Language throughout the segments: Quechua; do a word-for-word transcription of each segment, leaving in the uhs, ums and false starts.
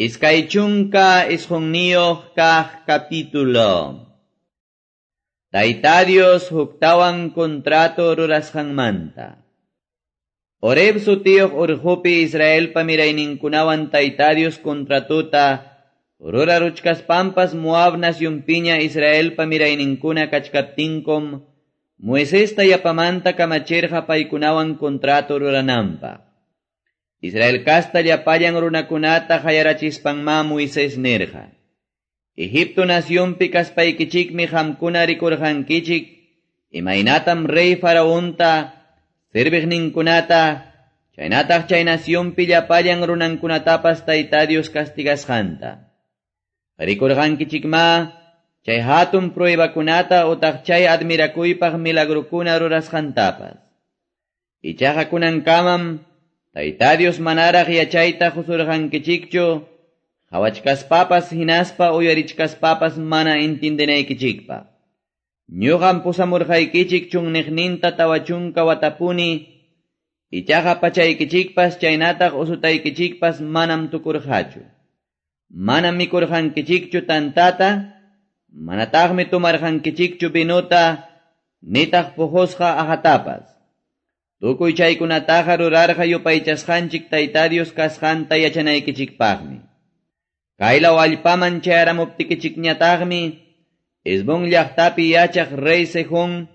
Iskay chunka isqunniyuq kaq capítulo. Tayta Dios huktawan contrato rurasqanmanta. Horeb sutiyuq urqupi Israelpa mirayninkunawan Tayta Dios contratota ruraruchkaspampas Moab nacionpiña Israelpa mirayninkuna kachkaptinkum Moisesta yapamanta kamachirqa paykunawan contrato rurananpaq. Israel kasta llapallan runakunata qayarachispanma Moisés nirqa: Egipto nacionpi kaspaykichikmi qamkuna rikurqankichik imaynatam rey Faraonta, serviqninkunata, chaynataq chay nacionpi llapallan runankunatapas Tayta Dios castigasqanta. Rikurqankichikma chay hatun pruebakunata utaq chay admirakuypaq milagrukuna rurasqantapas. Ichaqa kunankamam Tayta Dios manaraq yachayta qusurqankichikchu, qhawachkaspapas hinaspa uyarichkaspapas mana entiendenaykichikpaq. Ñuqam pusamurqaykichik chunniqninta tawa chunka watapuni, ichaqa pachaykichikpas chaynataq usutaykichikpas manam tukurqachu. Manam mikurqankichikchu tantata, manataqmi tumarqankichikchu vinuta, nitaq puqusqa aqatapas. Tukuy chaykunataqa rurarqa yupaychasqanchik Tayta Dios kasqanta yachanaykichikpaqmi. Kaylaw allpaman chayaramuptikichikñataqmi, Hesbón llaqtapi yachaq rey Sehón,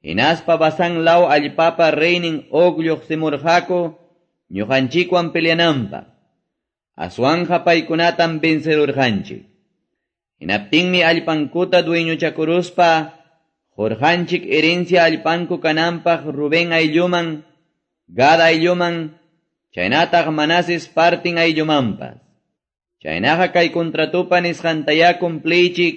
hinaspa Basán law allpapa reynin Og lluqsimurqaku ñuqanchikwan peleananpaq. Aswanja paykunatam vencerurqanchik. Hinaptinmi allpankuta dueñochakuruspa, qurqanchik herencia allpanku kananpaq Rubén aylluman, Gad aylluman, chaynataq Manases partin ayllumanpas. Chaynaqa kay contratupa nisqantayá cumpliychik,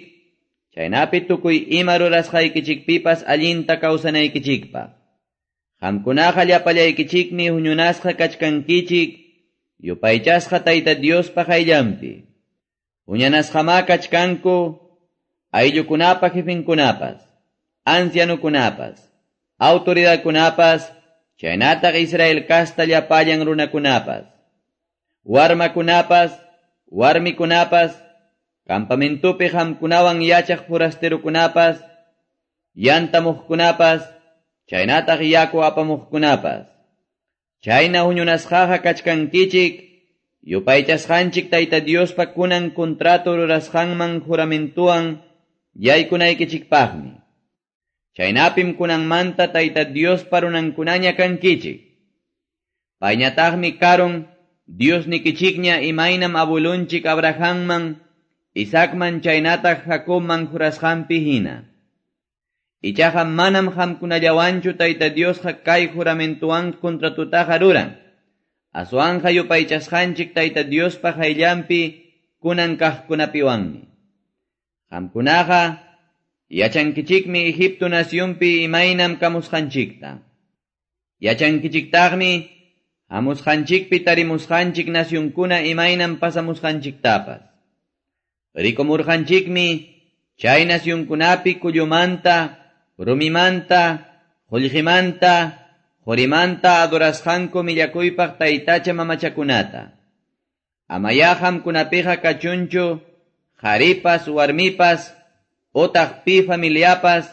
chaynapi tukuy ima rurasqaykichikpipas allinta kawsanaykichikpaq. Qamkunaqa llapallaykichikmi huñunasqa kachkankichik, yupaychasqa Tayta Diospa qayllanpi. Huñanasqamá kachkanku ayllukunapa jefinkunapas, ancianukunapas, autoridadkunapas, chaynataq Israel kasta llapallan runakunapas, warmakunapas, warmikunapas, campamentupi qamkunawan yachaq forasterukunapas, yantamuqkunapas, chaynataq yaku apamuqkunapas. Chayna huñunasqaqa kachkankichik, yupaychasqanchik Tayta Diospa kunan contrato rurasqanman juramentuwan yaykunaykichikpaqmi. Chaynapim kunanmanta Tayta Diospa runankunaña kankichik. Payñataqmi karun Diosnikichikña imaynam abuelunchik Abrahamman, Isaacman chaynataq Jacobman jurasqanpi hina. Ichaqa manam qamkunallawanchu Tayta Diosqa kay juramentuwan contratutaqa ruran. Aswanqa yupaychasqanchik Tayta Diospa qayllanpi kunan kaqkunapiwanmi. Qamkunaqa yachankichikmi Egipto nacionpi imaynam kamusqanchikta. Yachankichiktaqmi hamusqanchikpi tarimusqanchik nacionkuna imaynam pasamusqanchiktapas. Rikumurqanchikmi chay nacionkunapi kullumanta, rumimanta, qullqimanta, qurimanta adorasqanku millakuypaq taytacha mamachakunata. Amayá qamkunapiqa kachunchu qharipas, warmipas, otaq pi familiapas,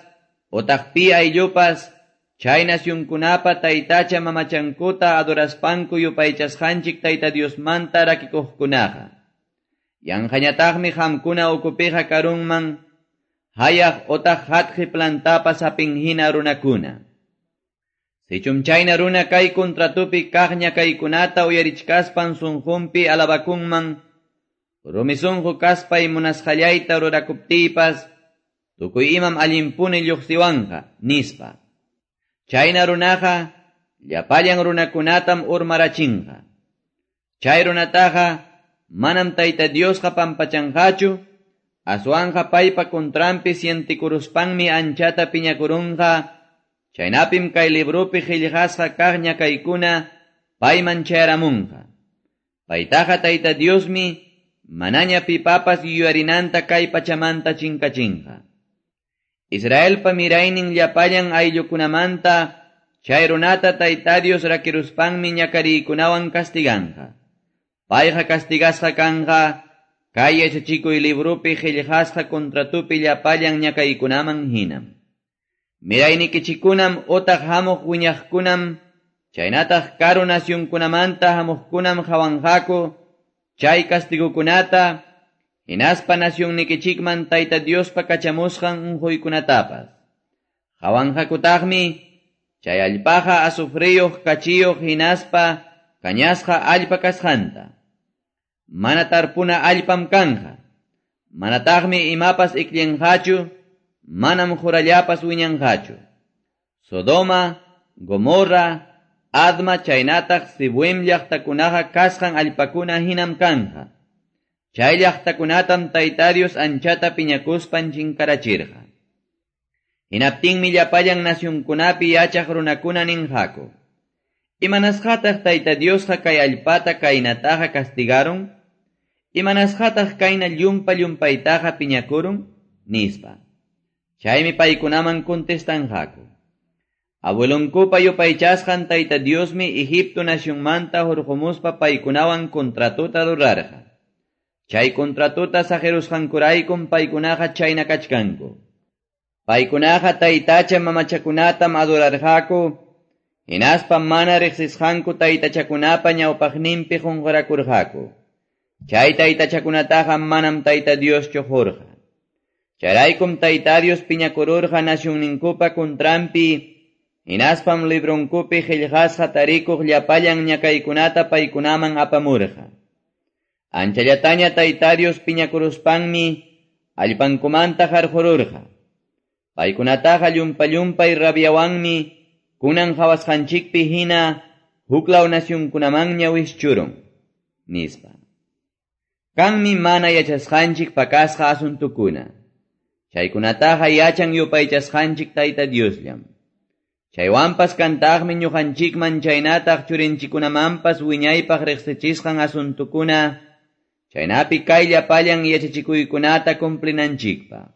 otaq pi ayllupas, chay nacionkunapa taytacha mamachankuta adoraspanku yupaychasqanchik Tayta Diosmanta rakikuqkunaqa. Yanqañataqmi qamkuna ukupiqa karunman, hayaq otaq hatqi plantapa sapin hina runakuna. Sichum chayna runa kay contratupi kaq ñakaykunata uyarichkaspan sunqunpi alabakunman, rumi sunqu kaspay munasqallayta rurakuptiypas, tukuy imam allinpuni lluqsiwanqa, nispa. Chayna runaqa llapallan runakunatam urmarachinqa. Chay runataqa manam Tayta Diosqa pampachanqachu, aswanqa paypa contranpi sientikuruspanmi anchata piñakurunqa, chaynapim kay librupi qillqasqa kaq ñakaykuna payman chayaramunqa. Paytaqa Tayta Diosmi manaña pipapas yuyarinanta kay pachamanta chinkachinqa. Israelpa miraynin llapallan ayllukunamanta chay runata Tayta Dios rakiruspanmi ñakariykunawan castiganqa. Payqa castigasqa kanqa, kay yachachikuy libropi qillqasqa contratopi llapallan ñakaykunaman hinam. Miraynikichikkunam utaq hamuq wiñaqkunam, chaynataq karu nacionkunamanta hamuqkunam qawanqaku, chay castigukunata, hinaspa nacionnikichikman Tayta Diospa kachamusqan unquykunatapas. Qawanqakutaqmi, chay allpaqa azufriyuq kachiyuq hinaspa kañasqa allpa kasqanta. Mana tarpuna allpam kanja. Manataqmi imapas ikllinqachu, manam qurallapas wiñanqachu. Sodoma, Gomorra, Adma chaynataq Zeboim llaqtakunaqa kasqan allpakuna hinam kanja. Chay llaqtakunatam Tayta Dios anchata piñakuspan chinkarachirqa. Hinaptinmi llapallan nacionkunapi yachaq runakuna ninqaku. Imanasqataq Tayta Diosqa kay allpata kaynataqa castigaron? Imanasqataq kayna llumpa llumpaytaqa piñakurun? Nispa. Chaymi paykunaman contestanqaku. Abuelonkupa yupaychasqan Tayta Diosmi Egipto nacionmanta hurqumuspa paykunawan contratota rurarqa. Chay contratota saqirusqankuraykum paykunaqa chayna kachkanku. Paykunaqa taytacha mamachakunatam adorarqaku, hinaspa mana riqsisqanku taytachakunapa ñawpaqninpi qunqurakurqaku. Chay taytachakunataqa manam Tayta Dioschu qurqa. Chayraykum Tayta Dios piñakururqa nacionninkupa contranpi, hinaspam libronkupi qillqasqa tarikuq llapallan ñakaykunata paykunaman apamurqa. Anchallataña Tayta Dios piñakuruspanmi allpankumanta qarqururqa. Paykunataqa llumpa-llumpay rabiawanmi kunan qhawasqanchikpi hina huklaw nacionkunamanña wischurun, nispa. Kanmi mana yachasqanchik pakasqa asuntukuna. Chaykunataqa yachan yupaychasqanchik Tayta Diosllam. Chaywanpas kantaqmi ñuqanchikman chaynataq churinchikunamanpas wiñaypaq riqsichisqan asuntukuna, chaynapi kay llapallan yachachikuykunata cumplinanchikpaq.